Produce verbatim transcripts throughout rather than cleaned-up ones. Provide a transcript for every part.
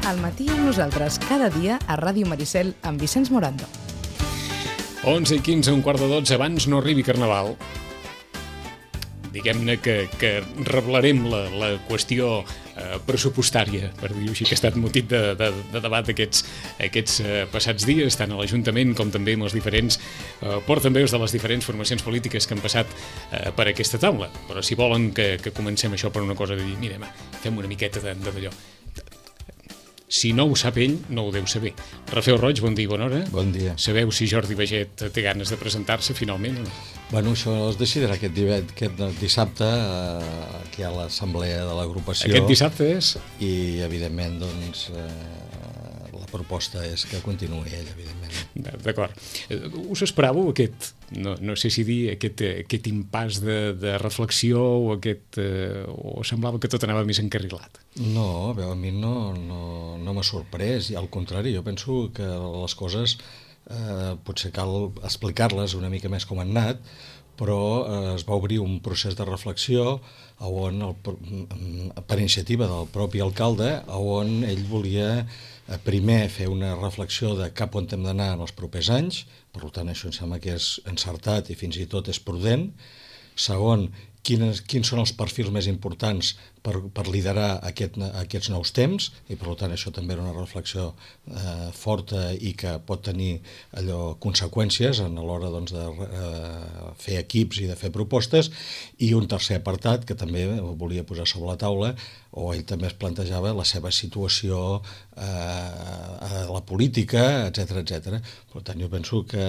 Al matí amb nosaltres, cada dia a Ràdio Maricel amb Vicenç Morando. onze i quinze, un quart de dotze, abans no arribi Carnaval. Diguem-ne que, que reblarem la, la qüestió eh, pressupostària, per dir-ho així, que ha estat motiu de, de, de debat aquests, aquests eh, passats dies, tant a l'Ajuntament com també amb els diferents eh, portaveus de les diferents formacions polítiques que han passat eh, per aquesta taula. Però si volen que, que comencem això per una cosa de dir, mira, fem una miqueta de, de d'allò. Si no ho sap ell, no ho deu saber. Rafael Roig, bon dia i bona hora. Bon dia. Sabeu si Jordi Baiget té ganes de presentar-se finalment o no? Bueno, això es decidirà aquest, aquest dissabte eh, aquí a l'assemblea de l'agrupació. Aquest dissabte és? I, evidentment, doncs, eh, la proposta és que continuï ell, evidentment. D'acord. Us esperàveu aquest, no, no sé si dir, aquest, aquest impàs de, de reflexió o aquest, eh, o semblava que tot anava més encarrilat? No, a veure, a mi no, no, no m'ha sorprès, i al contrari, jo penso que les coses eh, potser cal explicar-les una mica més com han anat, però eh, es va obrir un procés de reflexió on el, per iniciativa del propi alcalde, on ell volia eh, primer fer una reflexió de cap on hem d'anar en els propers anys, per tant això em sembla que és encertat i fins i tot és prudent. Segon, quins, quins són els perfils més importants per, per liderar aquest, aquests nous temps, i per tant això també era una reflexió eh, forta i que pot tenir allò conseqüències a l'hora doncs, de eh, fer equips i de fer propostes, i un tercer apartat que també volia posar sobre la taula, o ell també es plantejava la seva situació eh, a la política, etcètera, etcètera. Per tant, jo penso que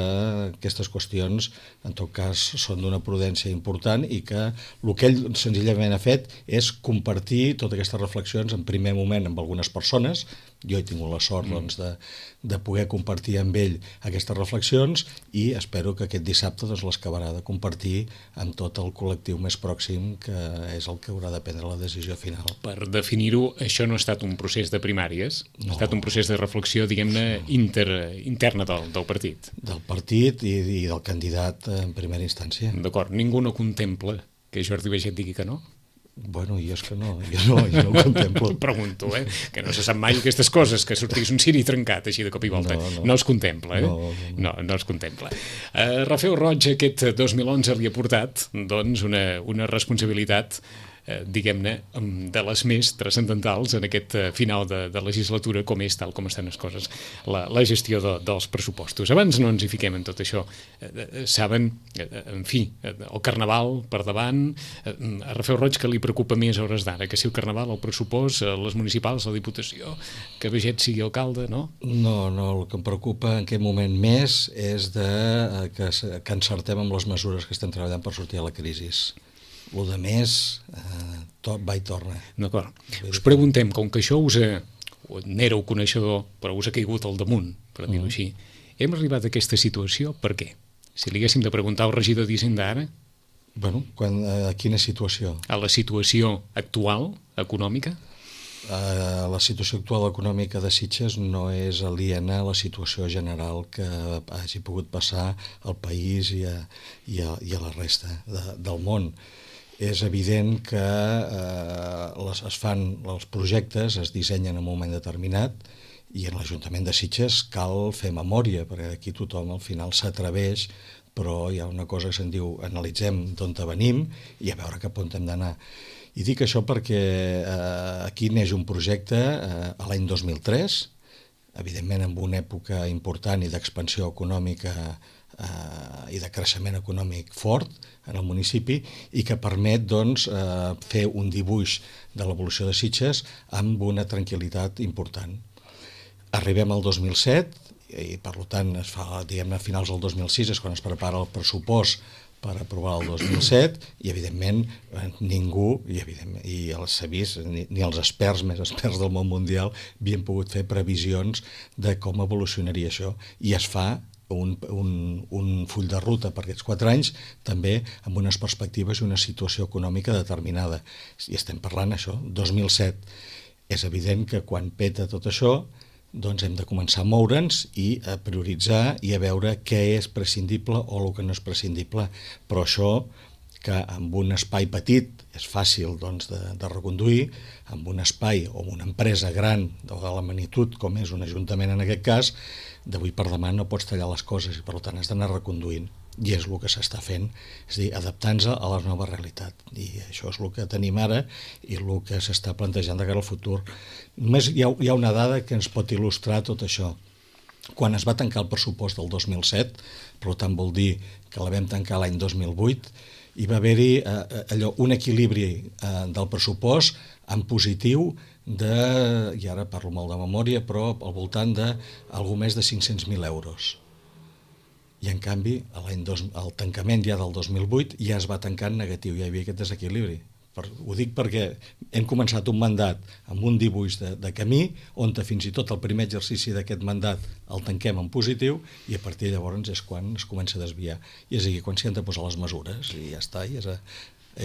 aquestes qüestions, en tot cas, són d'una prudència important i que el que ell senzillament ha fet és compartir totes aquestes reflexions en primer moment amb algunes persones. Jo he tingut la sort doncs, de, de poder compartir amb ell aquestes reflexions i espero que aquest dissabte doncs, les acabarà de compartir amb tot el col·lectiu més pròxim, que és el que haurà de prendre la decisió final. Per definir-ho, això no ha estat un procés de primàries, no. Ha estat un procés de reflexió, diguem-ne, inter, interna del, del partit. Del partit i, i del candidat en primera instància. D'acord, ningú no contempla que Jordi Baiget digui que no? Bueno, jo és que no, jo no, jo no ho contemplo. Pregunto, eh? Que no se sap mai aquestes coses, que sortís un ciri trencat així de cop i volta. No, no. no es contempla, eh? No, no, no. no, no es contempla. Uh, Rafael Roig, aquest dos mil onze li ha portat doncs, una, una responsabilitat eh, diguem-ne, de les més transcendentals en aquest final de, de legislatura, com és, tal com estan les coses, la, la gestió de, dels pressupostos. Abans no ens hi fiquem en tot això. Eh, saben, eh, en fi, el Carnaval per davant, eh, a Rafael Roig que li preocupa més a hores d'ara, que si el Carnaval, el pressupost, les municipals, la Diputació, que Baiget sigui alcalde, no? No, no, el que em preocupa en aquest moment més és de, que, que encertem amb les mesures que estem treballant per sortir a la crisi. El de més, eh, tot va i torna. D'acord. Us preguntem, com que això us ha, n'éreu coneixedor, però us ha caigut al damunt, per dir-ho mm. així, hem arribat a aquesta situació per què? Si li haguéssim de preguntar al regidor d'Hisenda ara... Bueno, quan, a quina situació? A la situació actual, econòmica? Uh, la situació actual econòmica de Sitges no és aliena a la situació general que hagi pogut passar al país i a, i a, i a la resta de, del món. És evident que eh, les, es fan els projectes, es dissenyen en un moment determinat, i en l'Ajuntament de Sitges cal fer memòria, perquè aquí tothom al final s'atreveix, però hi ha una cosa que se'n diu analitzem d'on venim i a veure cap on hem d'anar. I dic això perquè eh, aquí neix un projecte eh, a l'any dos mil tres, evidentment en una època important i d'expansió econòmica eh, i de creixement econòmic fort en el municipi i que permet doncs, eh, fer un dibuix de l'evolució de Sitges amb una tranquil·litat important. Arribem al dos mil set i per tant es fa, diguem-ne, a finals del dos mil sis és quan es prepara el pressupost per aprovar el dos mil set i evidentment ningú i, evidentment, i s'ha vist, ni, ni els experts més experts del món mundial havien pogut fer previsions de com evolucionaria això i es fa Un, un, un full de ruta per aquests quatre anys, també amb unes perspectives i una situació econòmica determinada. I estem parlant això, dos mil set. És evident que quan peta tot això, doncs hem de començar a moure'ns i a prioritzar i a veure què és prescindible o el que no és prescindible. Però això que amb un espai petit és fàcil doncs, de, de reconduir, amb un espai o una empresa gran de la magnitud com és un ajuntament en aquest cas, d'avui per demà no pots tallar les coses i per tant has d'anar reconduint, i és el que s'està fent, és a dir, adaptant-se a la nova realitat, i això és el que tenim ara i el que s'està plantejant de cara al futur. Només hi ha, hi ha una dada que ens pot il·lustrar tot això. Quan es va tancar el pressupost del dos mil set, per tant vol dir que la vam tancar l'any dos mil vuit, hi va haver-hi eh, allò, un equilibri eh, del pressupost en positiu de, i ara parlo molt de memòria, però al voltant de algo més de cinc-cents mil euros. I en canvi, l'any dos, el tancament ja del dos mil vuit ja es va tancar en negatiu, ja hi havia aquest desequilibri. Per, ho dic perquè hem començat un mandat amb un dibuix de, de camí on fins i tot el primer exercici d'aquest mandat el tanquem en positiu i a partir de llavors és quan es comença a desviar. I és aquí quan s'hi han de posar les mesures i ja està, i és, a,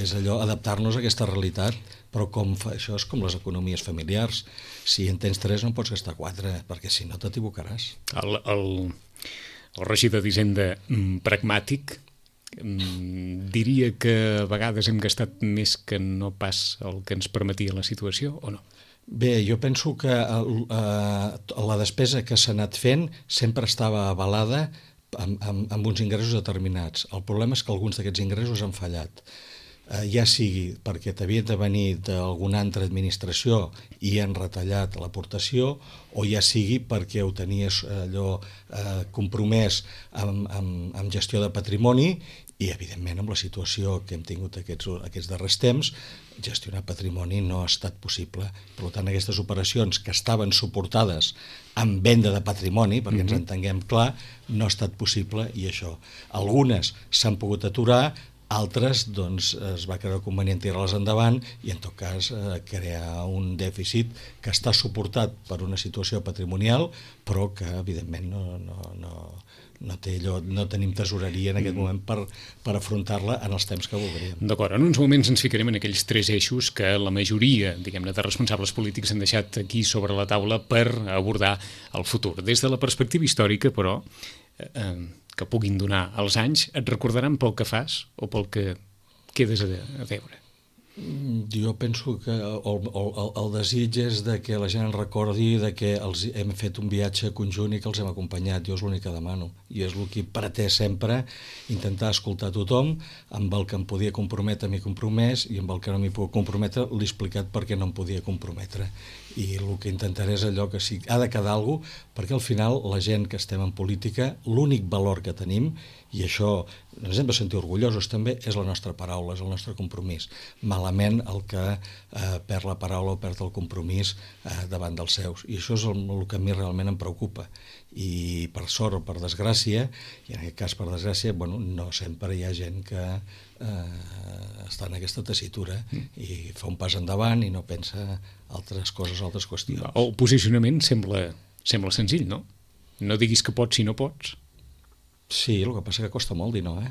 és allò, adaptar-nos a aquesta realitat, però com fa, això és com les economies familiars. Si en tens tres no pots gastar quatre, perquè si no t'equivocaràs. El, el, el regidor d'Hisenda mm, pragmàtic diria que a vegades hem gastat més que no pas el que ens permetia la situació, o no? Bé, jo penso que eh, la despesa que s'ha anat fent sempre estava avalada amb, amb, amb uns ingressos determinats. El problema és que alguns d'aquests ingressos han fallat. Eh, ja sigui perquè t'havien de venir d'alguna altra administració i han retallat l'aportació, o ja sigui perquè ho tenies allò eh, compromès amb, amb, amb gestió de patrimoni i, evidentment, amb la situació que hem tingut aquests, aquests darrers temps, gestionar patrimoni no ha estat possible. Per tant, aquestes operacions que estaven suportades amb venda de patrimoni, perquè mm-hmm. ens entenguem clar, no ha estat possible, i això. Algunes s'han pogut aturar, altres doncs, es va creure convenient tirar-les endavant i, en tot cas, eh, crear un dèficit que està suportat per una situació patrimonial, però que, evidentment, no, no, no, no, té allò, no tenim tesoreria en aquest moment per, per afrontar-la en els temps que voldríem. D'acord, en uns moments ens ficarem en aquells tres eixos que la majoria, diguem-ne, de responsables polítics han deixat aquí sobre la taula per abordar el futur. Des de la perspectiva històrica, però, eh, que puguin donar els anys, et recordaran pel que fas o pel que quedes a, a veure? Jo penso que el, el, el desig és de que la gent recordi de que els hem fet un viatge conjunt i que els hem acompanyat. Jo és l'únic que demano. I és el que he pretès sempre, intentar escoltar tothom, amb el que em podia comprometre m'he compromès i amb el que no m'hi puc comprometre l'he explicat perquè no em podia comprometre. I el que intentaré és allò que sí, ha de quedar alguna cosa, perquè al final la gent que estem en política, l'únic valor que tenim, i això ens hem de sentir orgullosos també, és la nostra paraula, és el nostre compromís. Malament el que eh, perd la paraula o perd el compromís eh, davant dels seus. I això és el, el que a mi realment em preocupa. I per sort o per desgràcia, i en aquest cas per desgràcia, bueno, no sempre hi ha gent que eh, està en aquesta tessitura i fa un pas endavant i no pensa altres coses, altres qüestions. El posicionament sembla, sembla senzill, no? No diguis que pots si no pots. Sí, el que passa que costa molt dir no, eh?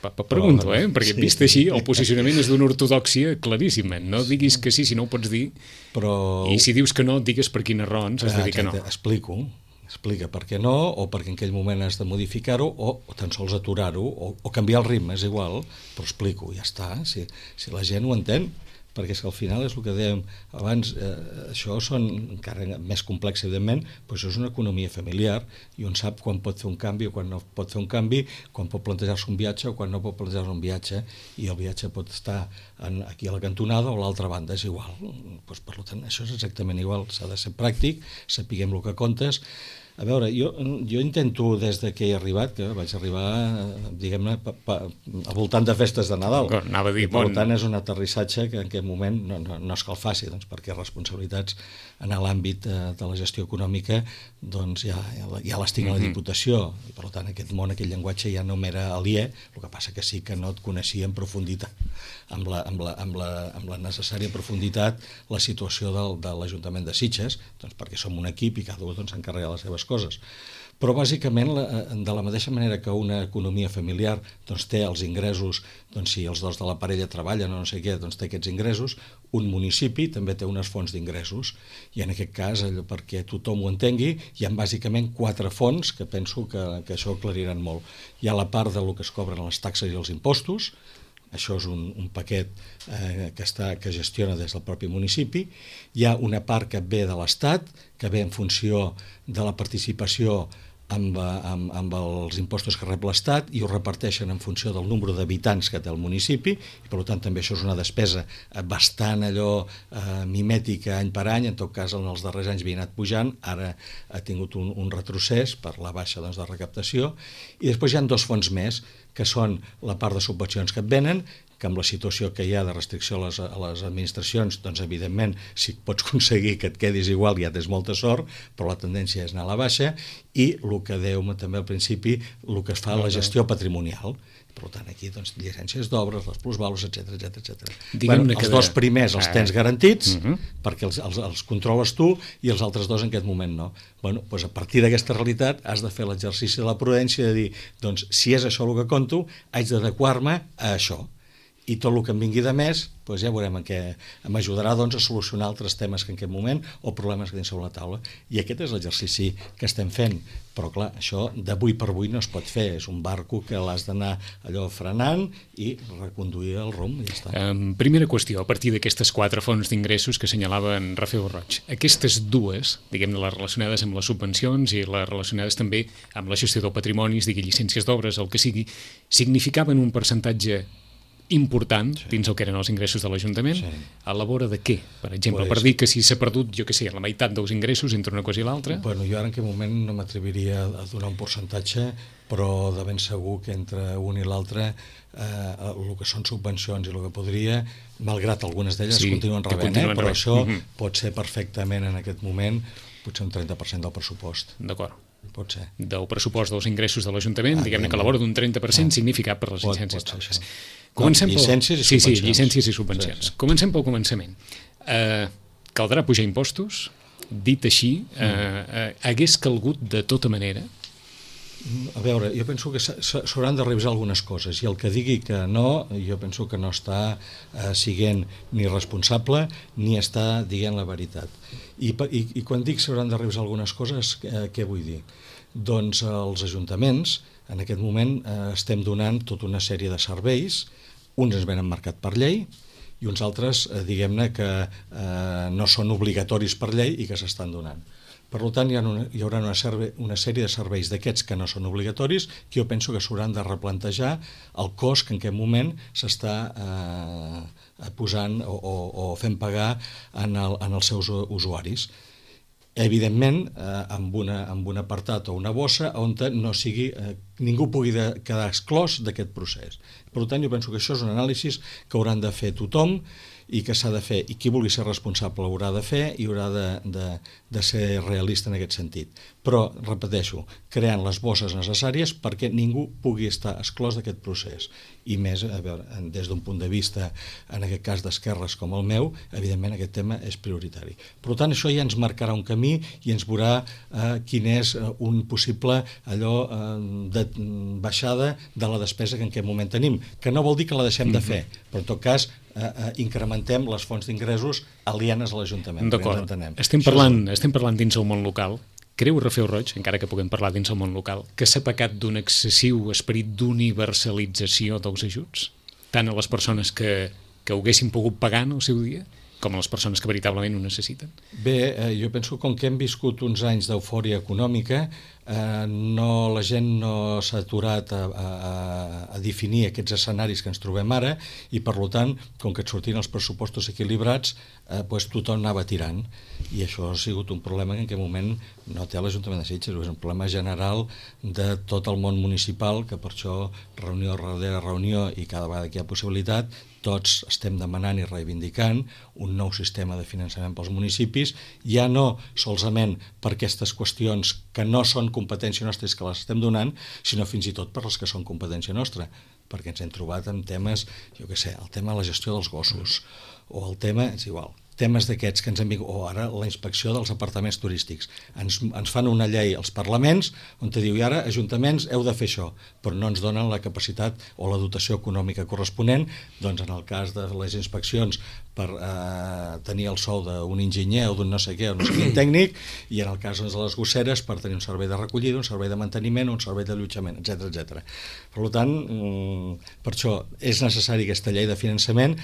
Pregunto, eh? Perquè sí. Vist així, el posicionament és d'una ortodòxia claríssima. No diguis que sí si no ho pots dir, però... i si dius que no, digues per quines raons has de dir que no. Explico, explica per què no, o perquè en aquell moment has de modificar-ho, o, o tan sols aturar-ho, o, o canviar el ritme, és igual, però explico, ja està, si, si la gent ho entén, perquè és que al final és el que dèiem abans, eh, això són encara més complex, evidentment, però això és una economia familiar i on sap quan pot fer un canvi o quan no pot fer un canvi, quan pot plantejar-se un viatge o quan no pot plantejar-se un viatge, i el viatge pot estar en, aquí a la cantonada o a l'altra banda, és igual. Pues, per tant, això és exactament igual, s'ha de ser pràctic, sapiguem el que comptes. A veure, jo, jo intento des de que he arribat, que vaig arribar, diguem-ne, al voltant de festes de Nadal. Anava a dir, per bon... tant, és un aterrissatge que en aquest moment no, no, no és que el faci, doncs, perquè responsabilitats en l'àmbit de, de la gestió econòmica doncs ja, ja les tinc a la Diputació, i per tant aquest món, aquest llenguatge ja no m'era aliè, el que passa que sí que no et coneixia en profunditat, amb la, amb la, amb la, amb la necessària profunditat, la situació del, de l'Ajuntament de Sitges, doncs perquè som un equip i cada un doncs, s'encarrega de les seves coses. Però bàsicament, de la mateixa manera que una economia familiar doncs, té els ingressos, doncs, si els dos de la parella treballen o no sé què, doncs té aquests ingressos, un municipi també té unes fonts d'ingressos, i en aquest cas, allò, perquè tothom ho entengui, hi ha bàsicament quatre fonts que penso que, que això ho aclariran molt. Hi ha la part del que es cobren les taxes i els impostos, això és un, un paquet eh, que, està, que gestiona des del propi municipi. Hi ha una part que ve de l'Estat, que ve en funció de la participació amb, amb, amb els impostos que rep l'Estat i ho reparteixen en funció del nombre d'habitants que té el municipi i per tant també això és una despesa bastant allò eh, mimètica any per any. En tot cas en els darrers anys havia anat pujant, ara ha tingut un, un retrocés per la baixa doncs, de recaptació. I després hi ha dos fons més que són la part de subvencions que et venen, que amb la situació que hi ha de restricció a les, a les administracions, doncs evidentment si pots aconseguir que et quedis igual ja tens molta sort, però la tendència és anar a la baixa, i el que dèiem també al principi, el que es fa a la gestió patrimonial. Per tant, aquí, doncs, llicències d'obres, les plusvàlues, etcètera, etcètera. Bueno, els dos primers els tens garantits, uh-huh. perquè els, els, els controles tu, i els altres dos en aquest moment no. Bueno, doncs a partir d'aquesta realitat has de fer l'exercici de la prudència de dir, doncs, si és això el que conto, haig d'adequar-me a això. I tot el que em vingui de més, doncs ja veurem en què m'ajudarà doncs, a solucionar altres temes que en aquest moment o problemes que tenim sobre la taula. I aquest és l'exercici que estem fent. Però clar, això d'avui per avui no es pot fer. És un barco que l'has d'anar allò frenant i reconduir el rumb i ja està. Um, primera qüestió, a partir d'aquestes quatre fonts d'ingressos que assenyalava en Rafael Roig, aquestes dues, diguem-ne, les relacionades amb les subvencions i les relacionades també amb la gestió del patrimoni, digui llicències d'obres, el que sigui, significaven un percentatge important sí. dins el que eren els ingressos de l'Ajuntament, sí. a la vora de què? Per exemple, pues, per dir que si s'ha perdut, jo què sé, la meitat dels ingressos entre una cosa i l'altra? Bueno, jo ara en aquest moment no m'atreviria a donar un percentatge, però de ben segur que entre un i l'altre eh, el que són subvencions i el que podria, malgrat algunes d'elles sí, continuen rebent, continuen eh, però rebent. Això mm-hmm. pot ser perfectament en aquest moment potser un trenta per cent del pressupost. D'acord. Pot ser. Del pressupost dels ingressos de l'Ajuntament, ah, diguem-ne que a la vora d'un trenta per cent ah, significat per les llicències d'obres. Comencem no, llicències pel... i subvencions. Sí, sí, llicències i subvencions. Sí, sí. Comencem pel començament. Uh, caldrà pujar impostos? Dit així, uh, uh, hagués calgut de tota manera? A veure, jo penso que s'hauran de revisar algunes coses i el que digui que no, jo penso que no està eh, siguent ni responsable ni està dient la veritat. I, i, i quan dic s'hauran de revisar algunes coses, eh, què vull dir? Doncs els ajuntaments, en aquest moment eh, estem donant tota una sèrie de serveis, uns es venen marcat per llei i uns altres, eh, diguem-ne, que eh, no són obligatoris per llei i que s'estan donant. Per tant, hi, ha una, hi haurà una, serve, una sèrie de serveis d'aquests que no són obligatoris que jo penso que s'hauran de replantejar el cost que en aquest moment s'està eh, posant o, o, o fent pagar en, el, en els seus usuaris. Evidentment, eh, amb, una, amb un apartat o una bossa on no sigui, eh, ningú pugui de, quedar exclòs d'aquest procés. Per tant, jo penso que això és un anàlisi que hauran de fer tothom i que s'ha de fer, i qui vulgui ser responsable haurà de fer i haurà de, de, de ser realista en aquest sentit. Però, repeteixo, creant les bosses necessàries perquè ningú pugui estar exclòs d'aquest procés. I més, a veure, des d'un punt de vista, en aquest cas d'esquerres com el meu, evidentment aquest tema és prioritari. Per tant, això ja ens marcarà un camí i ens veurà eh, quin és un possible allò eh, de baixada de la despesa que en aquest moment tenim, que no vol dir que la deixem de fer, però en tot cas eh, eh, incrementem les fonts d'ingressos alienes a l'Ajuntament. D'acord, estem parlant, estem parlant dins el món local. Creu Rafael Roig, encara que puguem parlar dins el món local, que s'ha pecat d'un excessiu esperit d'universalització dels ajuts, tant a les persones que, que ho haguessin pogut pagar en el seu dia, com a les persones que veritablement ho necessiten? Bé, eh, jo penso que com que hem viscut uns anys d'eufòria econòmica, eh, no, la gent no s'ha aturat a, a, a definir aquests escenaris que ens trobem ara i, per tant, com que et sortien els pressupostos equilibrats, eh, pues, tothom anava tirant. I això ha sigut un problema que en aquest moment no té l'Ajuntament de Sitges, és un problema general de tot el món municipal, que per això reunió darrere reunió i cada vegada que hi ha possibilitat, tots estem demanant i reivindicant un nou sistema de finançament pels municipis, ja no solament per aquestes qüestions que no són competència nostra que les estem donant, sinó fins i tot per les que són competència nostra, perquè ens hem trobat amb temes, jo què sé, el tema de la gestió dels gossos, o el tema, és igual, temes d'aquests que ens han vingut, o ara la inspecció dels apartaments turístics. Ens, ens fan una llei als parlaments on te diu, i ara, ajuntaments, heu de fer això, però no ens donen la capacitat o la dotació econòmica corresponent, doncs en el cas de les inspeccions per eh, tenir el sou d'un enginyer o d'un no sé què, o no sé quin tècnic, i en el cas doncs, de les gosseres per tenir un servei de recollida, un servei de manteniment, un servei d'allotjament, etcètera, etcètera. Per tant, per això és necessari aquesta llei de finançament,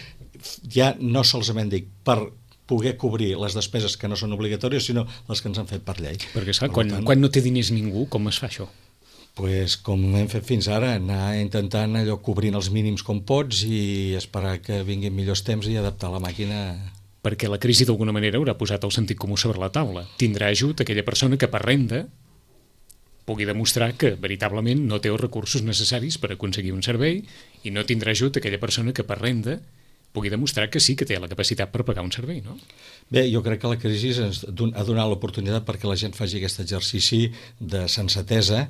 ja no solament dic per poder cobrir les despeses que no són obligatòries, sinó les que ens han fet per llei. Perquè, esclar, quan, tant, quan no té diners ningú, com es fa això? Pues, com hem fet fins ara, anar intentant allò cobrint els mínims com pots i esperar que vinguin millors temps i adaptar la màquina. Perquè la crisi d'alguna manera haurà posat el sentit comú sobre la taula. Tindrà ajut aquella persona que per renda pugui demostrar que veritablement no té els recursos necessaris per aconseguir un servei, i no tindrà ajut aquella persona que per renda pugui demostrar que sí que té la capacitat per pagar un servei, no? Bé, jo crec que la crisi ens ha donat l'oportunitat perquè la gent faci aquest exercici de sensatesa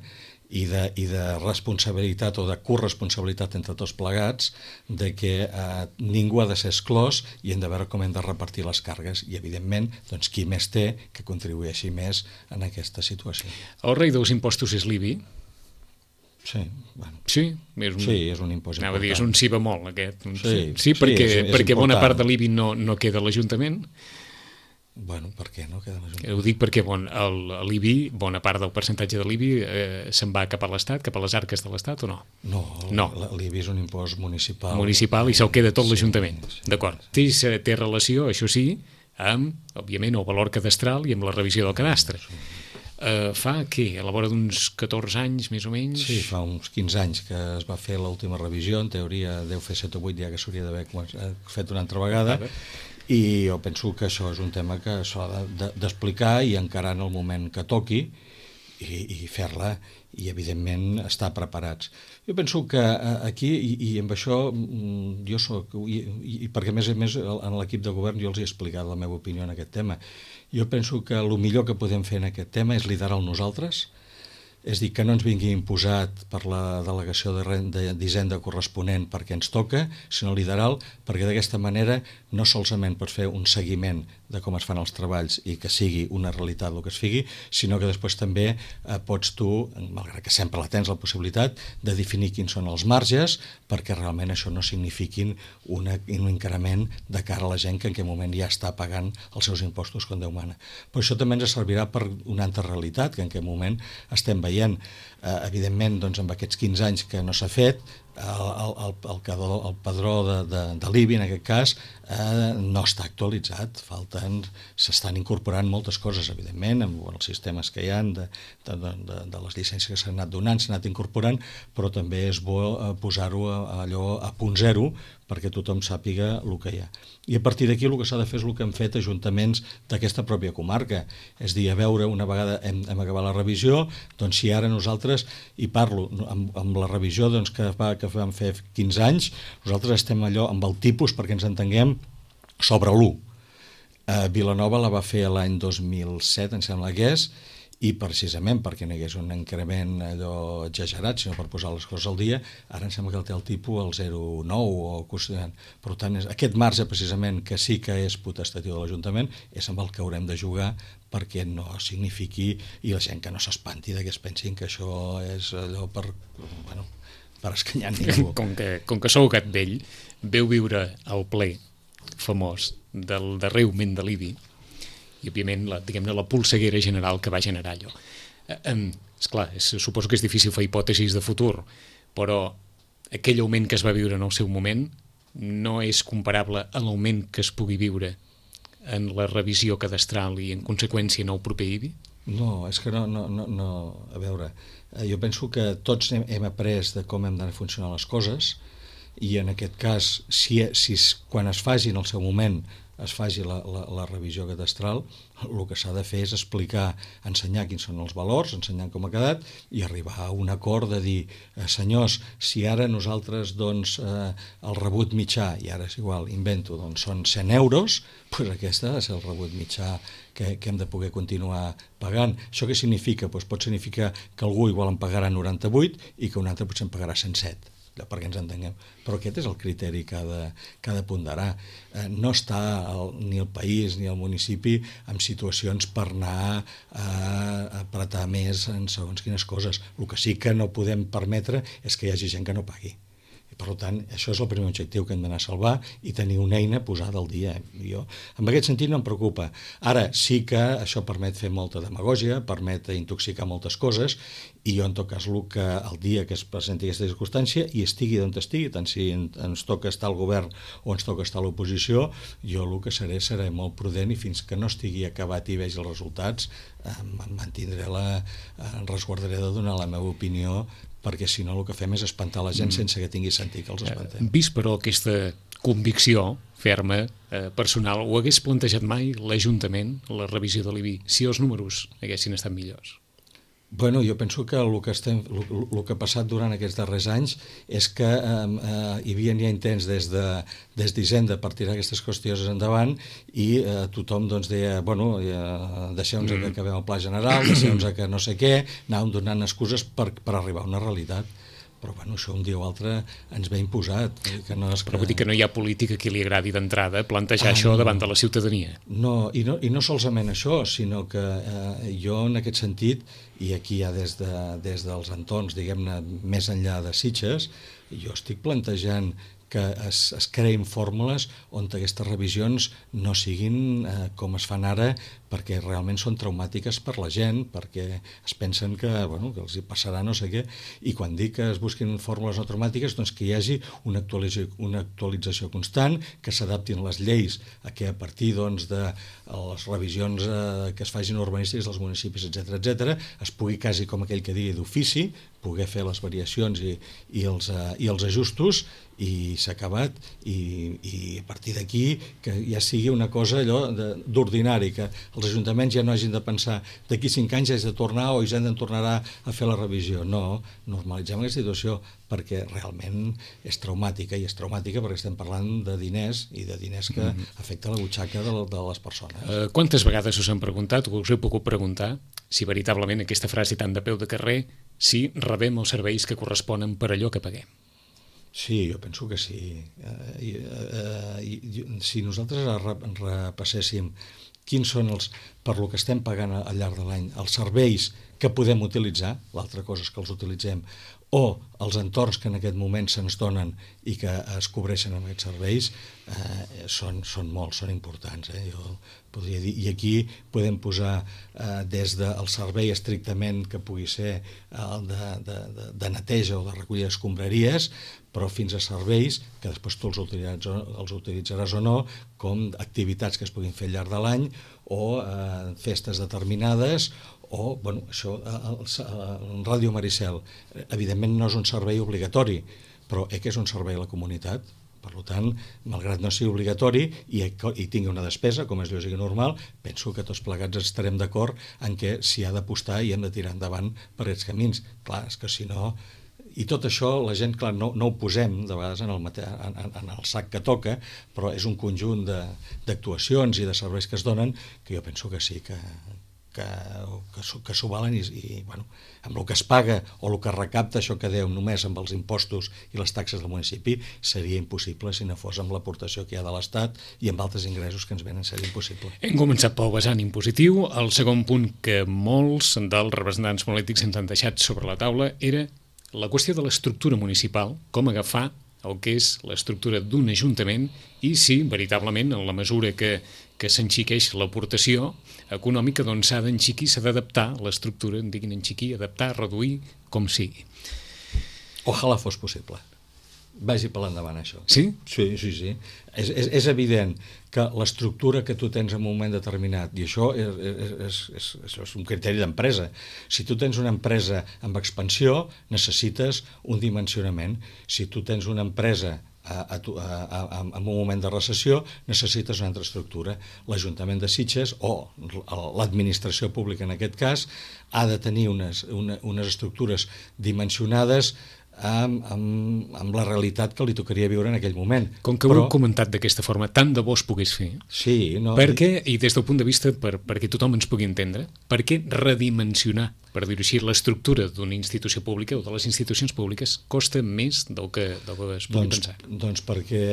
i de, i de responsabilitat o de corresponsabilitat entre tots plegats, de que eh, ningú ha de ser exclòs i hem de veure com hem de repartir les càrregues i, evidentment, doncs, qui més té que contribueixi més en aquesta situació. El rei dels impostos és l'I B I? Sí, bueno. Sí, és un, sí, és un impost anava important. A dir, és un sí bemol, aquest. Un sí, sí, sí, perquè, sí, és, és perquè bona important. part de l'I B I no, no queda a l'Ajuntament. Bueno, per què no queda a l'Ajuntament? Ho dic perquè bon, l'I B I, bona part del percentatge de l'I B I eh, se'n va cap a l'Estat, cap a les arques de l'Estat, o no? No, no. l'I B I és un impost municipal. Municipal i se'l queda tot sí, l'Ajuntament. Sí, d'acord. Té, té relació, això sí, amb, òbviament, el valor cadastral i amb la revisió del cadastre. Sí. Uh, fa, què? A la vora d'uns catorze anys, més o menys? Sí, fa uns quinze anys que es va fer l'última revisió, en teoria deu fer set o vuit ja que s'hauria d'haver fet una altra vegada, i jo penso que això és un tema que s'ha d'explicar i encarar en el moment que toqui i, i fer-la, i evidentment estar preparats. Jo penso que aquí, i, i amb això jo soc, i, i perquè a més a més en l'equip de govern jo els he explicat la meva opinió en aquest tema, jo penso que el millor que podem fer en aquest tema és liderar-lo nosaltres, és dir, que no ens vingui imposat per la delegació d'Hisenda de, corresponent perquè ens toca, sinó liderar-lo perquè d'aquesta manera no solament pots fer un seguiment de com es fan els treballs i que sigui una realitat el que es figui, sinó que després també eh, pots tu, malgrat que sempre la tens la possibilitat, de definir quins són els marges perquè realment això no signifiquin una, un increment de cara a la gent que en aquest moment ja està pagant els seus impostos com Déu mana. Però això també ens servirà per una altra realitat que en aquest moment estem veient. Eh, evidentment, doncs, amb aquests quinze anys que no s'ha fet, el, el, el, el, el padró de, de, de l'I B I, en aquest cas, eh, no està actualitzat. Falten, s'estan incorporant moltes coses, evidentment, amb els sistemes que hi ha, de, de, de, de les llicències que s'han anat donant, s'han anat incorporant, però també és bo posar-ho allò a punt zero perquè tothom sàpiga el que hi ha. I a partir d'aquí el que s'ha de fer és el que han fet ajuntaments d'aquesta pròpia comarca, és dir, a veure, una vegada hem, hem acabat la revisió, doncs si ara nosaltres, i parlo amb, amb la revisió doncs, que, va, que vam fer quinze anys, nosaltres estem allò amb el tipus, perquè ens entenguem, sobre l'u. Eh, Vilanova la va fer l'any dos mil set, em sembla que és, i precisament perquè no hi hagués un increment allò exagerat, sinó per posar les coses al dia, ara em sembla que el té el tipus al zero coma nou o costant. Per tant, és, aquest marge precisament que sí que és potestatiu de l'Ajuntament és amb el que haurem de jugar perquè no signifiqui, i la gent que no s'espanti de que es pensin que això és allò per, bueno, per escanyar ningú. Com que, com que sou gat vell, veu viure el ple famós del darrer augment de l'I B I, i òbviament la, diguem-ne, la polseguera general que va generar allò. Eh, eh, esclar, és, suposo que és difícil fer hipòtesis de futur, però aquell augment que es va viure en el seu moment no és comparable a l'augment que es pugui viure en la revisió cadastral i en conseqüència en el proper I B I? No, és que no, no, no, no. A veure, jo penso que tots hem, hem après de com hem de funcionar les coses, i en aquest cas, si, si quan es faci en el seu moment es faci la, la, la revisió cadastral, el que s'ha de fer és explicar, ensenyar quins són els valors, ensenyar com ha quedat i arribar a un acord de dir, eh, senyors, si ara nosaltres doncs, eh, el rebut mitjà, i ara és igual, invento, doncs són cent euros, doncs aquesta ha de ser el rebut mitjà que, que hem de poder continuar pagant. Això què significa? Doncs pot significar que algú igual en pagarà noranta-vuit i que un altre potser en pagarà cent set. perquè ens entenguem. Però aquest és el criteri que ha de, que ha de ponderar. Eh, no està el, ni el país ni el municipi en situacions per anar a apretar més en segons quines coses. El que sí que no podem permetre és que hi hagi gent que no pagui. Per tant, això és el primer objectiu que hem d'anar a salvar i tenir una eina posada al dia. Jo, en aquest sentit no em preocupa. Ara, sí que això permet fer molta demagògia, permet intoxicar moltes coses, i jo, en tot cas, el, que, el dia que es presenti aquesta circumstància, i estigui d'on estigui, tant si ens toca estar al govern o ens toca estar a l'oposició, jo el que seré seré molt prudent i fins que no estigui acabat i vegi els resultats, em mantindré la, em resguardaré de donar la meva opinió, perquè si no el que fem és espantar la gent mm. sense que tingui sentit que els espantem. Vist, però, aquesta convicció ferma, eh, personal, ho hagués plantejat mai l'Ajuntament, la revisió de l'I B I, si els números haguessin estat millors? Bueno, jo penso que el que, estem, el, el que ha passat durant aquests darrers anys és que eh, eh, hi havia ja intents des de des d'Hisenda per tirar aquestes qüestions endavant i eh, tothom doncs, deia, bueno, eh, deixeu-nos mm. que acabem el pla general, deixeu-nos que no sé què, anàvem donant excuses per, per arribar a una realitat. Però bueno, això un dia o altre ens ve imposat. Que no és que... Però vull dir que no hi ha política que li agradi d'entrada plantejar ah, això no. davant de la ciutadania. No, i no, i no solament això, sinó que eh, jo en aquest sentit, i aquí ja des, de, des dels entorns, diguem-ne, més enllà de Sitges, jo estic plantejant que es, es creïn fórmules on aquestes revisions no siguin eh, com es fan ara, perquè realment són traumàtiques per la gent, perquè es pensen que, bueno, que els hi passarà no sé què, i quan dic que es busquin fórmules no traumàtiques, doncs que hi hagi una actualització, una actualització constant, que s'adaptin les lleis a que a partir doncs, de les revisions eh, que es facin urbanístiques dels municipis, etcètera, etcètera, es pugui quasi, com aquell que digui, d'ofici, poder fer les variacions i, i, els, uh, i els ajustos, i s'ha acabat, i, i a partir d'aquí que ja sigui una cosa allò d'ordinari, que els ajuntaments ja no hagin de pensar d'aquí cinc anys has de tornar o Hisenda en tornarà a fer la revisió. No, normalitzem aquesta situació perquè realment és traumàtica, i és traumàtica perquè estem parlant de diners i de diners que mm-hmm. afecta la butxaca de, de les persones. Uh, quantes vegades us han preguntat, o us he pogut preguntar, si veritablement aquesta frase tan de peu de carrer, si rebem els serveis que corresponen per allò que paguem? Sí, jo penso que sí. Uh, uh, uh, si nosaltres repasséssim quins són els, per lo que estem pagant al llarg de l'any, els serveis que podem utilitzar, l'altra cosa és que els utilitzem, o els entorns que en aquest moment se'ns donen i que es cobreixen amb aquests serveis, eh, són, són molts, són importants. Eh? Jo podria dir, i aquí podem posar eh, des del servei estrictament que pugui ser el de, de, de, de neteja o de recollir escombraries, però fins a serveis que després tu els utilitzaràs, els utilitzaràs o no, com activitats que es puguin fer al llarg de l'any o eh, festes determinades, o, bueno, això, el, el Ràdio Maricel, evidentment no és un servei obligatori, però eh, que és un servei a la comunitat. Per tant, malgrat no sigui obligatori i, i tingui una despesa, com és lògic i normal, penso que tots plegats estarem d'acord en què s'hi ha d'apostar i hem de tirar endavant per aquests camins. Clar, és que si no... I tot això, la gent, clar, no, no ho posem de vegades en el, mate... en, en el sac que toca, però és un conjunt d'actuacions i de serveis que es donen que jo penso que sí, que... que, que, que s'ho valen i, i bueno, amb el que es paga o el que recapta això que deu només amb els impostos i les taxes del municipi seria impossible si no fos amb l'aportació que hi ha de l'Estat i amb altres ingressos que ens venen, seria impossible. Hem començat pel vessant impositiu. El segon punt que molts dels representants polítics ens han deixat sobre la taula era la qüestió de l'estructura municipal, com agafar el que és l'estructura d'un ajuntament i si, veritablement, en la mesura que, que s'enxiqueix l'aportació econòmica, doncs s'ha d'enxiquir, s'ha d'adaptar l'estructura, en diguin enxiquir, adaptar, reduir, com sigui. Ojalà fos possible. Vagi per l'endavant, això. Sí? Sí, sí, sí. És, és, és evident que l'estructura que tu tens en un moment determinat, i això és, és, és, és, és un criteri d'empresa, si tu tens una empresa amb expansió, necessites un dimensionament. Si tu tens una empresa a, a, a, a, en un moment de recessió, necessites una altra estructura. L'Ajuntament de Sitges, o l'administració pública en aquest cas, ha de tenir unes, una, unes estructures dimensionades Amb, amb, amb la realitat que li tocaria viure en aquell moment. Com que Però... ho heu comentat d'aquesta forma, tant de bo es pogués fer. Sí, no... Per què, i des del punt de vista per, perquè tothom ens pugui entendre, per què redimensionar per dir-ho així, l'estructura d'una institució pública o de les institucions públiques costa més del que, del que es pugui doncs, pensar? Doncs perquè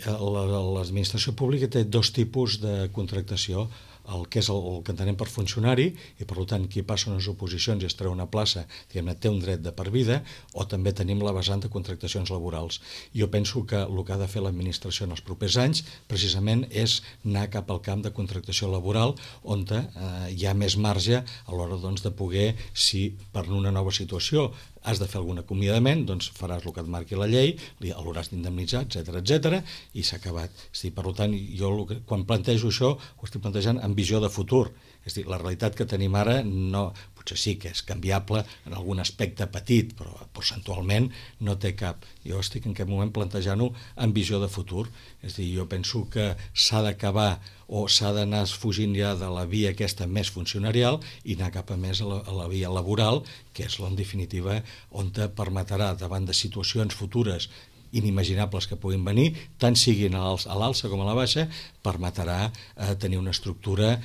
l'administració pública té dos tipus de contractació, el que és el, el que entenem per funcionari, i per tant qui passa unes oposicions i es treu una plaça, diguem-ne, té un dret de per vida, o també tenim la vessant de contractacions laborals. Jo penso que el que ha de fer l'administració en els propers anys precisament és anar cap al camp de contractació laboral, on eh, hi ha més marge a l'hora doncs, de poder, si per una nova situació has de fer algun acomiadament, doncs faràs el que et marqui la llei, l'hauràs d'indemnitzar, etcètera, etcètera, i s'ha acabat. És dir, per tant, jo quan plantejo això ho estic plantejant amb visió de futur. És dir, la realitat que tenim ara no, potser sí que és canviable en algun aspecte petit, però percentualment no té cap. Jo estic en aquest moment plantejant-ho amb visió de futur. És dir, jo penso que s'ha d'acabar o s'ha d'anar fugint ja de la via aquesta més funcionarial i anar cap a més a la, a la via laboral, que és en definitiva on te permetrà davant de situacions futures inimaginables que puguin venir, tant siguin a l'alça com a la baixa, permetrà eh, tenir una estructura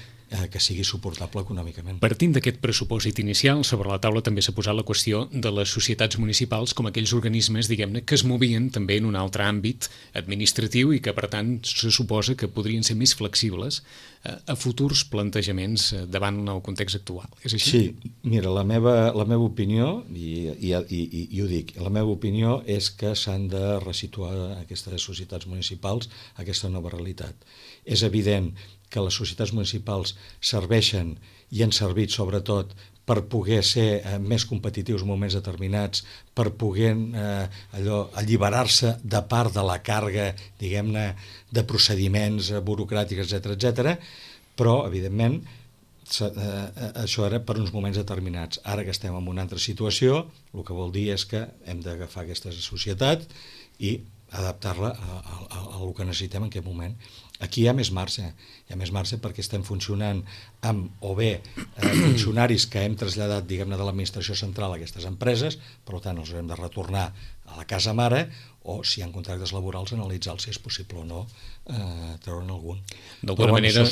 que sigui suportable econòmicament. Partint d'aquest pressupòsit inicial, sobre la taula també s'ha posat la qüestió de les societats municipals com aquells organismes, diguem-ne, que es movien també en un altre àmbit administratiu i que, per tant, se suposa que podrien ser més flexibles a futurs plantejaments davant el context actual. És així? Sí, mira, la meva, la meva opinió, i, i, i, i ho dic, la meva opinió és que s'han de resituar aquestes societats municipals a aquesta nova realitat. És evident que les societats municipals serveixen i han servit sobretot per poder ser eh, més competitius en moments determinats, per poder eh, allò alliberar-se de part de la càrrega, diguem-ne, de procediments eh, burocràtics, etcètera, etcètera, però, evidentment, eh, això era per uns moments determinats. Ara que estem en una altra situació, el que vol dir és que hem d'agafar aquesta societat i adaptar-la a, a, a, a el que necessitem en aquest moment. Aquí hi ha més marge, hi ha més marge perquè estem funcionant amb, o bé, eh, funcionaris que hem traslladat, diguem-ne, de l'administració central a aquestes empreses, per tant, els haurem de retornar a la casa mare, o si hi ha contractes laborals, analitzar si és possible o no eh, treure'n algun. D'alguna manera,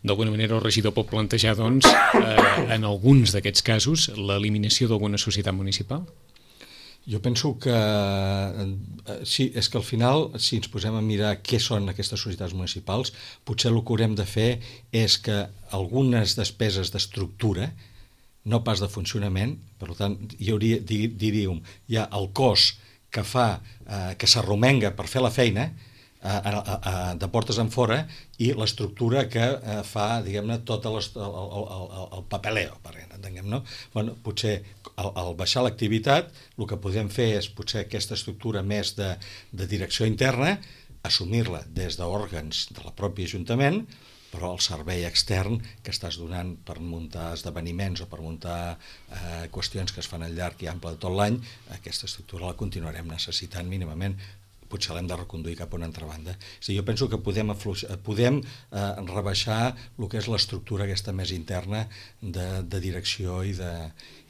d'alguna manera el regidor pot plantejar, doncs, eh, en alguns d'aquests casos, l'eliminació d'alguna societat municipal? Jo penso que eh, sí, és que al final, si ens posem a mirar què són aquestes societats municipals, potser el que haurem de fer és que algunes despeses d'estructura, no pas de funcionament, per tant, hi hauria, diríem, hi ha el cos que fa, eh, que s'arromenga per fer la feina, a, a, a, de portes en fora, i l'estructura que eh, fa, diguem-ne, tot el, el, el, el papeleo, per entenguem, no? Bueno, potser al, al baixar l'activitat, el que podem fer és potser aquesta estructura més de, de direcció interna, assumir-la des d'òrgans de la pròpia Ajuntament, però el servei extern que estàs donant per muntar esdeveniments o per muntar eh, qüestions que es fan al llarg i ample de tot l'any, aquesta estructura la continuarem necessitant mínimament. Potser l'hem de reconduir cap a una altra banda. O sigui, jo penso que podem, podem eh, rebaixar el que és l'estructura aquesta més interna de, de direcció i de,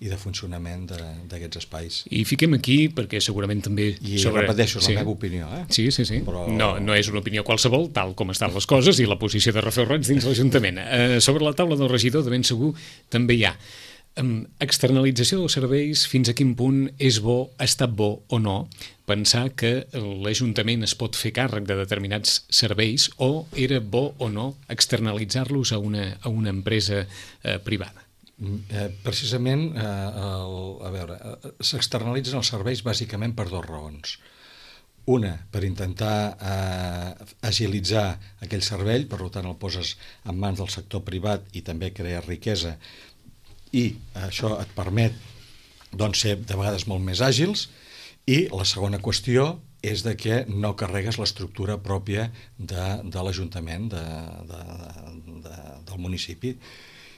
i de funcionament d'aquests espais. I fiquem aquí, perquè segurament també... I sobre... repeteixo, és sí. la meva opinió. Eh? Sí, sí, sí. Però... No, no és una opinió qualsevol, tal com estan les coses i la posició de Rafel Roig dins l'Ajuntament. Eh, sobre la taula del regidor, de ben segur, també hi ha Um, externalització dels serveis, fins a quin punt és bo, ha estat bo o no pensar que l'Ajuntament es pot fer càrrec de determinats serveis, o era bo o no externalitzar-los a una, a una empresa eh, privada? Eh, precisament, eh, el, a veure, eh, s'externalitzen els serveis bàsicament per dues raons. Una, per intentar eh, agilitzar aquell servei, per tant el poses en mans del sector privat i també crear riquesa, i això et permet doncs, ser de vegades molt més àgils. I la segona qüestió és de que no carregues l'estructura pròpia de, de l'Ajuntament, de, de, de, del municipi.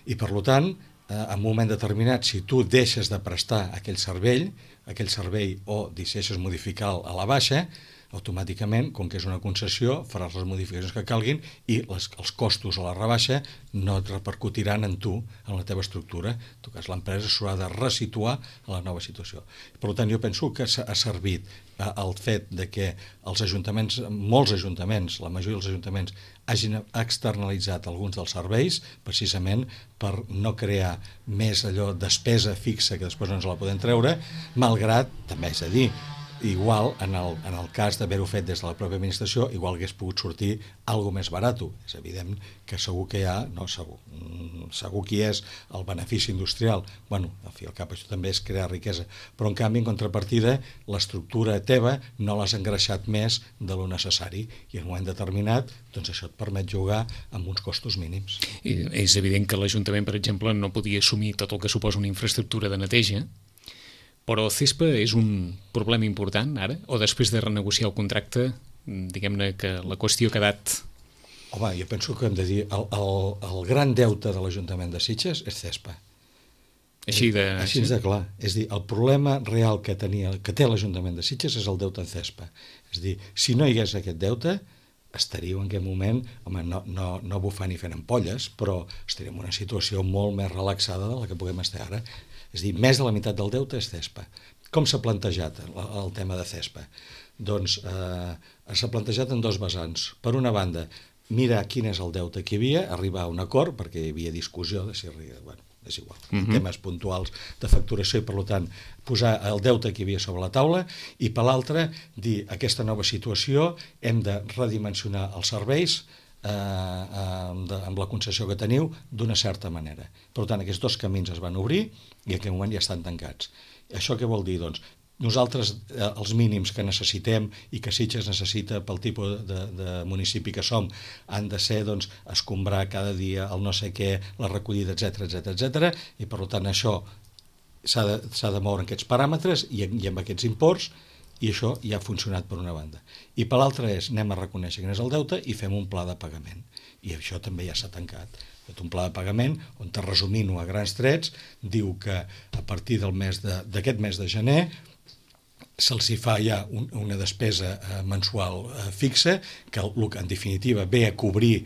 I per tant, eh, en un moment determinat, si tu deixes de prestar aquell servei, aquell servei o decideixes modificar a la baixa, automàticament, com que és una concessió, faràs les modificacions que calguin i les, els costos o la rebaixa no et repercutiran en tu, en la teva estructura. En tot cas, l'empresa s'haurà de resituar a la nova situació. Per tant, jo penso que ha servit el fet de que els ajuntaments, molts ajuntaments, la majoria dels ajuntaments, hagin externalitzat alguns dels serveis, precisament per no crear més allò despesa fixa que després no ens la podem treure, malgrat, també és a dir, igual, en el, en el cas d'haver-ho fet des de la pròpia administració, igual hagués pogut sortir alguna més barat. És evident que segur que hi ha, no segur, segur que hi és el benefici industrial. Bueno, al fi al cap això també és crear riquesa, però en canvi, en contrapartida, l'estructura teva no l'has engreixat més de lo necessari i en un moment determinat, doncs això et permet jugar amb uns costos mínims. I és evident que l'Ajuntament, per exemple, no podia assumir tot el que suposa una infraestructura de neteja, però CESPA és un problema important ara? O després de renegociar el contracte, diguem-ne que la qüestió ha quedat... Home, jo penso que hem de dir el, el, el gran deute de l'Ajuntament de Sitges és CESPA. Així de... Així de clar. És a dir, el problema real que, tenia, que té l'Ajuntament de Sitges és el deute en CESPA. És a dir, si no hi hagués aquest deute, estaríeu en aquest moment, home, no, no, no bufant i fent ampolles, però estaríem en una situació molt més relaxada de la que puguem estar ara. És a dir, més de la meitat del deute és CESPA. Com s'ha plantejat el, el tema de CESPA? Doncs eh, s'ha plantejat en dos vessants. Per una banda, mirar quin és el deute que hi havia, arribar a un acord, perquè hi havia discussió de si arriba... Bueno, és igual, uh-huh. temes puntuals de facturació i, per tant, posar el deute que hi havia sobre la taula i, per l'altra, dir aquesta nova situació hem de redimensionar els serveis eh, eh, amb la concessió que teniu d'una certa manera. Per tant, aquests dos camins es van obrir i en aquest moment ja estan tancats. Això què vol dir? Doncs nosaltres eh, els mínims que necessitem i que Sitges necessita pel tipus de, de municipi que som han de ser, doncs, escombrar cada dia el no sé què, la recollida, etcètera, etcètera, etcètera, i per tant això s'ha de, s'ha de moure en aquests paràmetres i, i amb aquests imports, i això ja ha funcionat per una banda. I per l'altra és, anem a reconèixer quin és el deute i fem un pla de pagament. I això també ja s'ha tancat. Un pla de pagament on, resumint-ho a grans trets, diu que a partir del mes de, d'aquest mes de gener se'ls hi fa ja un, una despesa eh, mensual eh, fixa, que en definitiva ve a cobrir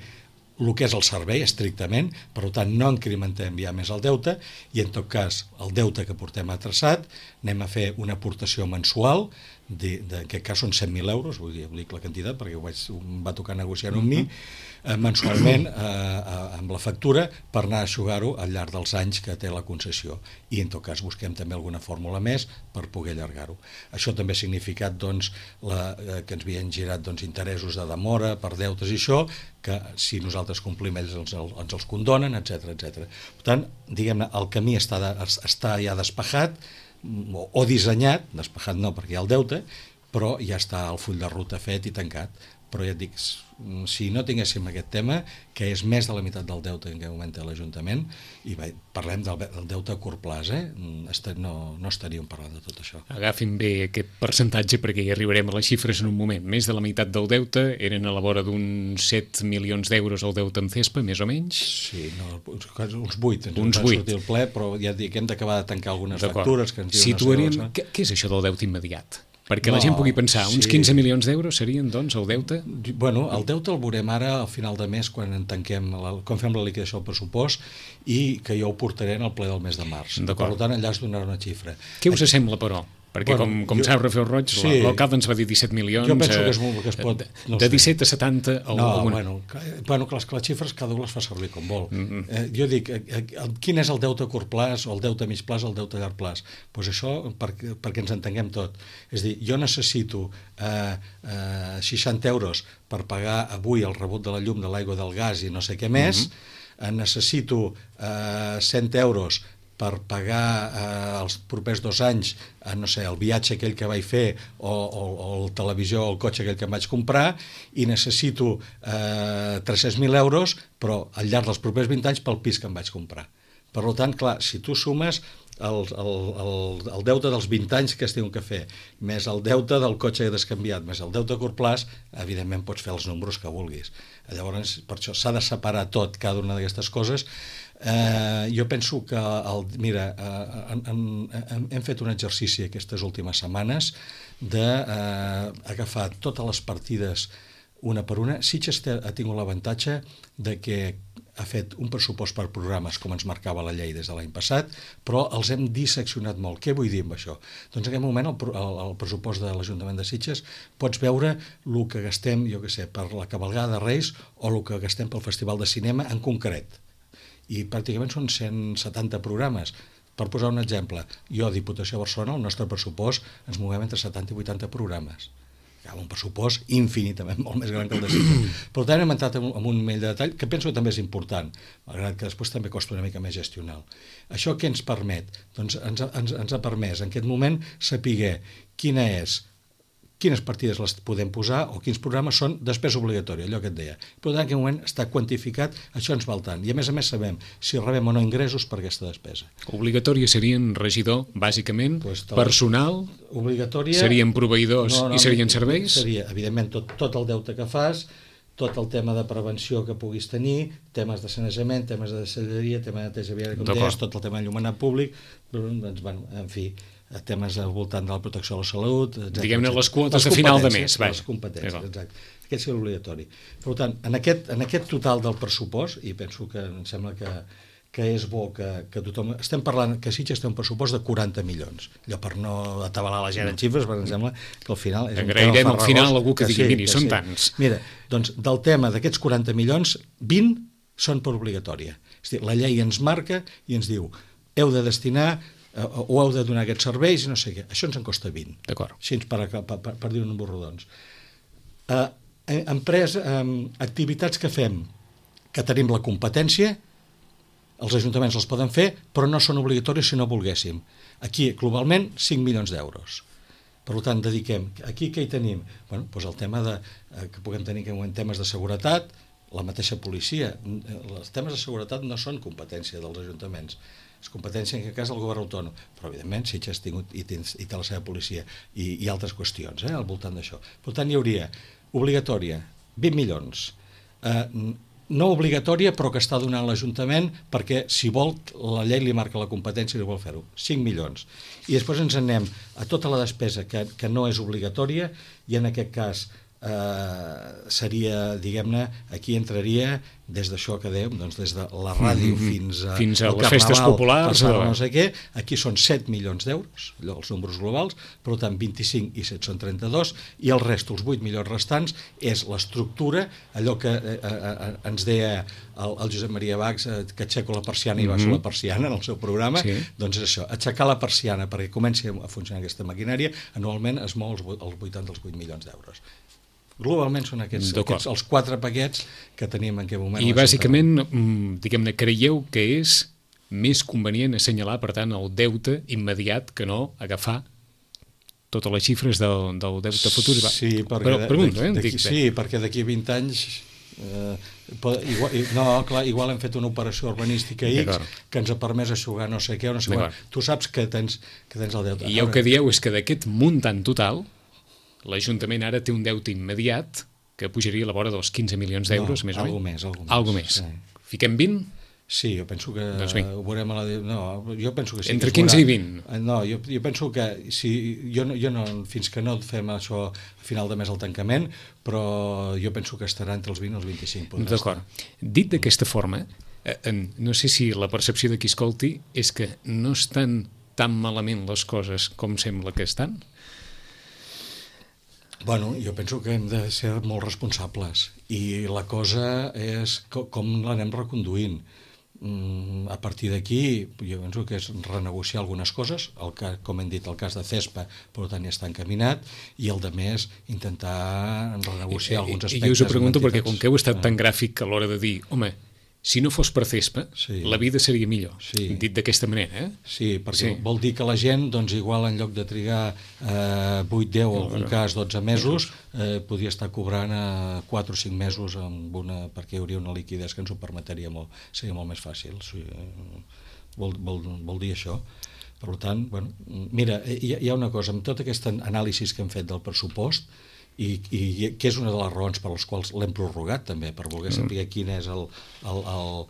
el que és el servei estrictament, per tant no incrementem ja més el deute i en tot cas el deute que portem atraçat anem a fer una aportació mensual, de, de, en aquest cas són cent mil euros, vull dir, vull dir la quantitat perquè ho vaig, em va tocar negociar amb mi, eh, mensualment eh, eh, amb la factura per anar a aixugar-ho al llarg dels anys que té la concessió i en tot cas busquem també alguna fórmula més per poder allargar-ho. Això també ha significat doncs, la, eh, que ens havien girat doncs, interessos de demora per deutes i això, que si nosaltres complim ells ens, ens els condonen, etcètera, etcètera. Per tant, diguem-ne, el camí està, de, està ja despejat o, o dissenyat, despejat no perquè hi ha el deute, però ja està el full de ruta fet i tancat. Però ja et dic, si no tinguéssim aquest tema, que és més de la meitat del deute en què moment té l'Ajuntament, i bé, parlem del, del deute a curt plaç, eh? no, no estaríem parlant de tot això. Agafin bé aquest percentatge perquè hi arribarem a les xifres en un moment. Més de la meitat del deute eren a la vora d'uns set milions d'euros el deute amb CESPA, més o menys? Sí, no, uns vuit, ens uns van vuit. sortir el ple, però ja et dic, hem d'acabar de tancar algunes factures que ens diuen... Situaríem... Què, què és això del deute immediat? Perquè no, la gent pugui pensar, uns sí. quinze milions d'euros serien, doncs, el deute? Bueno, el deute el veurem ara al final de mes, quan en tanquem, la, quan fem la liquidació del pressupost, i que jo ho portaré en el ple del mes de març. Per tant, allà es donarà una xifra. Què us sembla, però? Perquè, bueno, com, com jo, sap Rafael Roig, sí, l'alcalde ens va dir disset milions... Jo penso que és molt que es pot... No de disset a setanta... O no, alguna... bueno, que, bueno que, les, que les xifres cada un les fa servir com vol. Mm-hmm. eh, jo dic, eh, eh, quin és el deute a curt plaç, o el deute a mig plaç, o el deute a llarg plaç? Doncs pues això, per, perquè ens entenguem tot. És a dir, jo necessito eh, eh, seixanta euros per pagar avui el rebut de la llum, de l'aigua, del gas i no sé què més, mm-hmm. eh, necessito eh, cent euros per pagar eh, els propers dos anys eh, no sé, el viatge aquell que vaig fer o, o, o el televisió o el cotxe aquell que em vaig comprar i necessito eh, tres-cents mil euros però al llarg dels propers vint anys pel pis que em vaig comprar. Per tant, clar, si tu sumes el, el, el, el deute dels vint anys que es diuen que fer, més el deute del cotxe descanviat, més el deute a curt plaç, evidentment pots fer els números que vulguis. Llavors, per això s'ha de separar tot, cada una d'aquestes coses. Eh, jo penso que, el, mira, eh, en, en, hem fet un exercici aquestes últimes setmanes d'agafar eh, totes les partides una per una. Sitges ha tingut l'avantatge de que ha fet un pressupost per programes com ens marcava la llei des de l'any passat, però els hem disseccionat molt. Què vull dir amb això? Doncs en aquest moment el, el, el pressupost de l'Ajuntament de Sitges pots veure el que gastem, jo què sé, per la cavalgada de Reis o el que gastem pel Festival de Cinema en concret. I pràcticament són cent setanta programes. Per posar un exemple, jo, Diputació de Barcelona, el nostre pressupost ens movem entre setanta i vuitanta programes. Hi ha un pressupost infinitament molt més gran que el de Sitges. Per tant, hem entrat en un mail de detall que penso que també és important, malgrat que després també costa una mica més gestional. Això què ens permet? Doncs ens, ens, ens ha permès en aquest moment saber quina és quines partides les podem posar o quins programes són despesa obligatòria, allò que et deia. Per tant, en aquest moment està quantificat, això ens val tant. I a més a més sabem si rebem o no ingressos per aquesta despesa. Obligatòria serien regidor, bàsicament, pues, personal, obligatòria, serien proveïdors no, no, i serien serveis? Seria, evidentment, tot, tot el deute que fas, tot el tema de prevenció que puguis tenir, temes de sanejament, temes de deixalleria, tema de neteja viària, com deies, tot el tema d'enllumenat públic, doncs, bueno, en fi, temes al voltant de la protecció de la salut, etcètera. Diguem-ne les quotes de final de mes. Les competències, exacte. Aquest és l'obligatori. Per tant, en aquest, en aquest total del pressupost, i penso que em sembla que, que és bo que, que tothom... Estem parlant que Sitges té un pressupost de quaranta milions. Allò per no atabalar la gent en xifres, perquè em sembla que al final... Agrairem al final algú que, que digui, sí, miri, són sí. tants. Mira, doncs del tema d'aquests quaranta milions, vint són per obligatòria. És a dir, la llei ens marca i ens diu heu de destinar o heu de donar aquests serveis i no sé què. Això ens en costa vint. D'acord. Així per, per, per, per dir-ho en borrodons. Uh, empresa, um, activitats que fem, que tenim la competència, els ajuntaments els poden fer, però no són obligatoris si no volguéssim. Aquí, globalment, cinc milions d'euros. Per tant, dediquem... Aquí què hi tenim? Bueno, doncs el tema de, eh, que puguem tenir en temes de seguretat, la mateixa policia. Els temes de seguretat no són competència dels ajuntaments. És competència en aquest cas del govern autònom, però evidentment Sitges ha tingut i té, i té la seva policia i, i altres qüestions eh, al voltant d'això. Per tant, hi hauria obligatòria, vint milions, eh, no obligatòria però que està donant l'Ajuntament perquè si vol, la llei li marca la competència i li vol fer-ho, cinc milions. I després ens anem a tota la despesa que, que no és obligatòria i en aquest cas Uh, seria, diguem-ne, aquí entraria des d'això que dèiem, doncs des de la ràdio mm-hmm. fins a, fins a les festes populars o no sé què, aquí són set milions d'euros, allò, els números globals, per tant vint-i-cinc i set són trenta-dos i el rest, els vuit milions restants és l'estructura, allò que eh, eh, ens deia el, el Josep Maria Bax, eh, que aixeco la persiana i baixo mm-hmm. la persiana en el seu programa, sí. Doncs és això, aixecar la persiana perquè comenci a funcionar aquesta maquinària, anualment es mou els, els vuitanta als vuit milions d'euros. Globalment són aquests, aquests els quatre paquets que tenim en aquest moment. I bàsicament, diguem-ne, creieu que és més convenient assenyalar, per tant, el deute immediat que no agafar totes les xifres del, del deute futur? Sí, perquè, Però, pregunto, eh, dic, sí, perquè d'aquí a vint anys... Eh, igual, no, clar, igual hem fet una operació urbanística X que ens ha permès aixugar no sé què o no sé quan. Tu saps que tens, que tens el deute. I el que dieu és que d'aquest muntant total l'Ajuntament ara té un deute immediat que pujaria a la vora dels quinze milions d'euros, no, més o menys. Més, algo més. Algo més. Sí. Fiquem vint? Sí, jo penso que doncs ho veurem a la... No, jo penso que sí. Entre que quinze i vint? No, jo, jo penso que si, jo, no, jo no, fins que no fem això a final de mes al tancament, però jo penso que estarà entre els vint i els vint-i-cinc. D'acord. Dit d'aquesta forma, eh, no sé si la percepció de qui escolti és que no estan tan malament les coses com sembla que estan? Bueno, jo penso que hem de ser molt responsables i la cosa és com l'anem reconduint. A partir d'aquí, jo penso que és renegociar algunes coses, el que, com hem dit, el cas de CESPA, per tant, ja està encaminat, i el de més, intentar renegociar alguns aspectes. I jo us ho pregunto perquè, com que heu estat tan gràfic a l'hora de dir, home, si no fos per CESPA, sí. la vida seria millor, sí. dit d'aquesta manera. Eh? Sí, perquè sí. vol dir que la gent, doncs igual en lloc de trigar eh, vuit, deu, en algun cas dotze mesos, eh, podria estar cobrant eh, quatre o cinc mesos amb una, perquè hi hauria una liquiditat que ens ho permetria molt, seria molt més fàcil. Sí, eh, vol, vol, vol dir això. Per tant, bueno, mira, hi, hi ha una cosa, amb tota aquesta anàlisi que hem fet del pressupost, i, i que és una de les raons per les quals l'hem prorrogat també, per voler saber quin és el, el, el,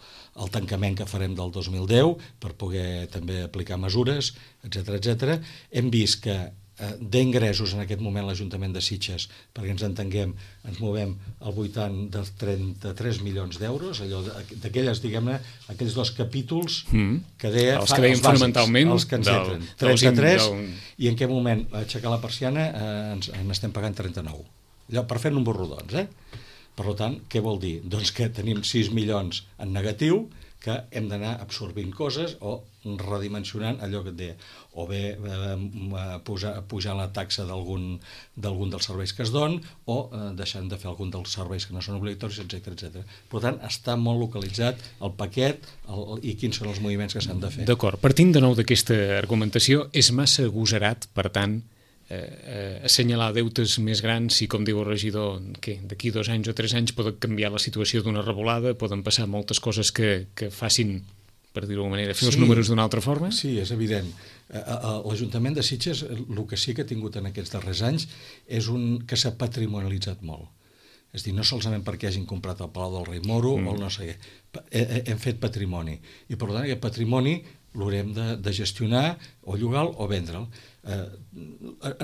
el tancament que farem del dos mil deu, per poder també aplicar mesures, etcètera, etcètera. Hem vist que eh, d'ingressos en aquest moment l'Ajuntament de Sitges, perquè ens entenguem, ens movem al voltant de trenta-tres milions d'euros, allò d'aquelles, diguem-ne, aquells dos capítols mm. que deia, els que deien fonamentalment els que ens del, entren, trenta-tres, del... i en què moment aixecar la persiana eh, ens, ens estem pagant trenta-nou. Allò, per fer números rodons, eh? Per tant, què vol dir? Doncs que tenim sis milions en negatiu, que hem d'anar absorbint coses o redimensionant allò que et deia, o bé eh, pujar, pujar la taxa d'algun d'algun dels serveis que es don, o eh, deixant de fer algun dels serveis que no són obligatoris, etcètera, etcètera. Per tant, està molt localitzat el paquet el, el, i quins són els moviments que s'han de fer. D'acord. Partint de nou d'aquesta argumentació, és massa agosarat, per tant, Eh, eh, assenyalar deutes més grans i, com diu el regidor, que d'aquí dos anys o tres anys poden canviar la situació d'una revolada, poden passar moltes coses que, que facin, per dir-ho d'alguna manera, fer sí, els números d'una altra forma? Sí, és evident. L'Ajuntament de Sitges, el que sí que ha tingut en aquests darrers anys és un que s'ha patrimonialitzat molt. És a dir, no solament perquè hagin comprat el Palau del Rei Moro mm. o el no sé què. Hem fet patrimoni. I, per tant, aquest patrimoni l'haurem de, de gestionar o llogar-lo o vendre'l. Eh,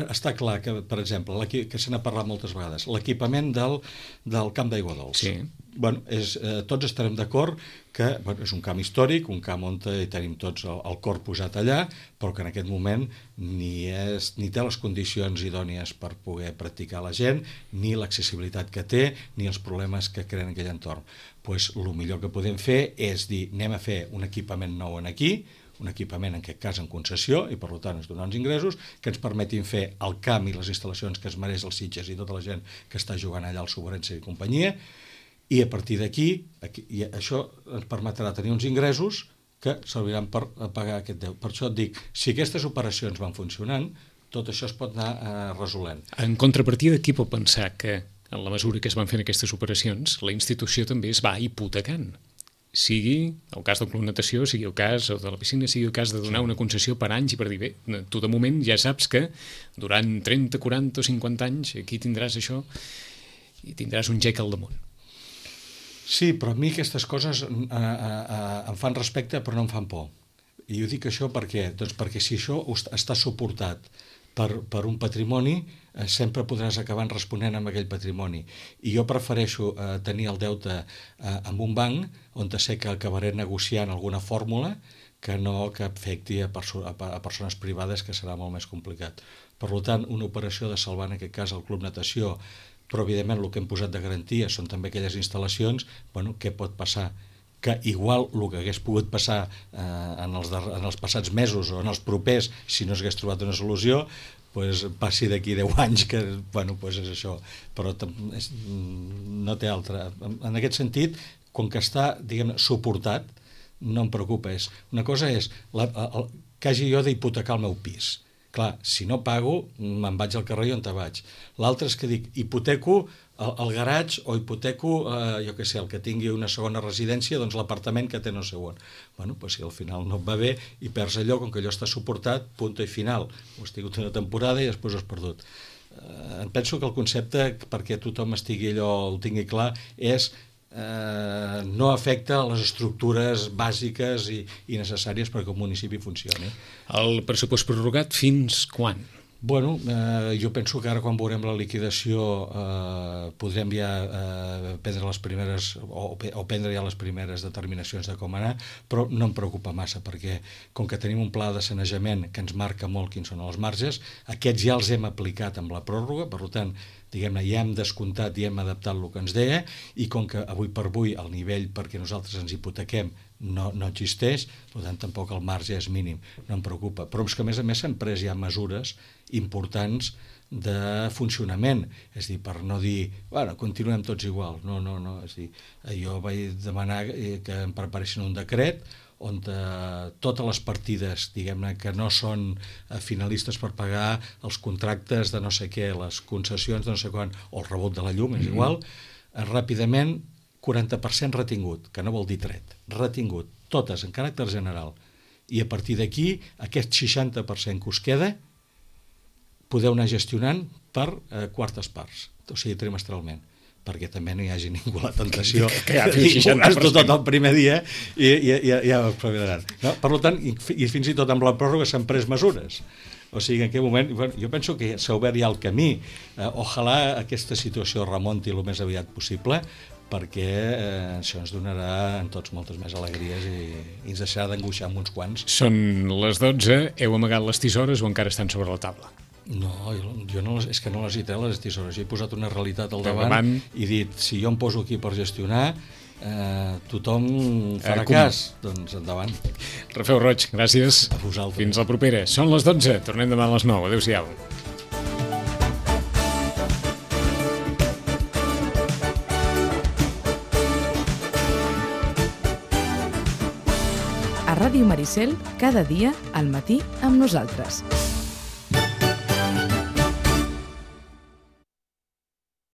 està clar que, per exemple, que se n'ha parlat moltes vegades, l'equipament del, del camp d'aigua dolç. Sí. Bueno, és, eh, tots estarem d'acord que bueno, és un camp històric, un camp on tenim tots el, el cor posat allà, però que en aquest moment ni, és, ni té les condicions idònies per poder practicar la gent, ni l'accessibilitat que té, ni els problemes que creen aquell entorn. Pues, el millor que podem fer és dir, anem a fer un equipament nou en aquí, un equipament en aquest cas en concessió i per tant ens donar uns ingressos que ens permetin fer el camp i les instal·lacions que es mereix el Sitges i tota la gent que està jugant allà al Soberense i companyia, i a partir d'aquí i això ens permetrà tenir uns ingressos que serviran per pagar aquest deute. Per això et dic, si aquestes operacions van funcionant, tot això es pot anar eh, resolent. En contrapartida, qui pot pensar que en la mesura que es van fent aquestes operacions la institució també es va hipotecant? Sigui el cas del Club Natació, sigui el cas de la piscina, sigui el cas de donar una concessió per anys i per dir, bé, tu de moment ja saps que durant trenta, quaranta o cinquanta anys aquí tindràs això i tindràs un gec al damunt. Sí, però a mi aquestes coses eh, eh, em fan respecte però no em fan por. I jo dic això per què? Doncs perquè si això està suportat per, per un patrimoni, eh, sempre podràs acabar responent amb aquell patrimoni. I jo prefereixo eh, tenir el deute eh, amb un banc on sé que acabaré negociant alguna fórmula que no que afecti a, perso a, a persones privades, que serà molt més complicat. Per tant, una operació de salvar, en aquest cas, el Club Natació, però evidentment el que hem posat de garantia són també aquelles instal·lacions, bueno, què pot passar? Que igual el que hagués pogut passar eh, en, els en els passats mesos o en els propers, si no s'hagués trobat una solució, pues, passi d'aquí deu anys, que bueno, pues és això, però és, no té altra. En aquest sentit, com que està, diguem, suportat, no em preocupa. És, una cosa és la, el, que hagi jo d'hipotecar el meu pis. Clar, si no pago, me'n vaig al carrer i on te vaig. L'altre és que dic, hipoteco el, el garatge o hipoteco, eh, jo què sé, el que tingui una segona residència, doncs l'apartament que té no sé on. Bueno, doncs si al final no et va bé i perds allò, com que allò està suportat, punt i final. Ho has tingut una temporada i després ho has perdut. Eh, penso que el concepte, perquè tothom estigui allò, el tingui clar, és eh, no afecta les estructures bàsiques i, i necessàries perquè un municipi funcioni. El pressupost prorrogat fins quan? Bueno, eh, jo penso que ara quan veurem la liquidació eh, podrem ja eh, prendre les primeres o, o prendre ja les primeres determinacions de com anar, però no em preocupa massa perquè com que tenim un pla de sanejament que ens marca molt quins són els marges, aquests ja els hem aplicat amb la pròrroga, per tant, diguem-ne, ja hem descomptat i hem adaptat el que ens deia, i com que avui per avui el nivell perquè nosaltres ens hipotequem no, no existeix, per tant tampoc el marge és mínim, no em preocupa. Però és que a més a més s'han pres ja mesures importants de funcionament, és a dir, per no dir, bueno, continuem tots igual, no, no, no, és a dir, jo vaig demanar que em preparessin un decret on eh, totes les partides, diguem-ne, que no són eh, finalistes per pagar els contractes de no sé què, les concessions de no sé quan, o el rebot de la llum, és mm-hmm. igual, eh, ràpidament quaranta per cent retingut, que no vol dir tret, retingut, totes en caràcter general. I a partir d'aquí, aquest seixanta per cent que us queda, podeu anar gestionant per eh, quartes parts, o sigui, trimestralment, perquè també no hi hagi ningú la tentació que, que, que de dir, gasto tot el primer dia i, i, i ja ho espavilaran. No? Per tant, i, i fins i tot amb la pròrroga s'han pres mesures. O sigui, en aquell moment, bueno, jo penso que s'ha obert ja el camí. Eh, ojalà aquesta situació remonti el més aviat possible, perquè eh, això ens donarà en tots moltes més alegries i, i ens deixarà d'angoixar amb uns quants. Són les dotze, heu amagat les tisores o encara estan sobre la taula? No, jo, jo no les, és que no les he tret, les tisores. Jo he posat una realitat al davant, davant i dit, si jo em poso aquí per gestionar, eh, tothom farà eh, com... cas. Doncs endavant. Rafeu Roig, gràcies. A vosaltres. Fins la propera. Són les dotze, tornem demà a les nou. Adéu-siau. A Ràdio Maricel, cada dia al matí amb nosaltres.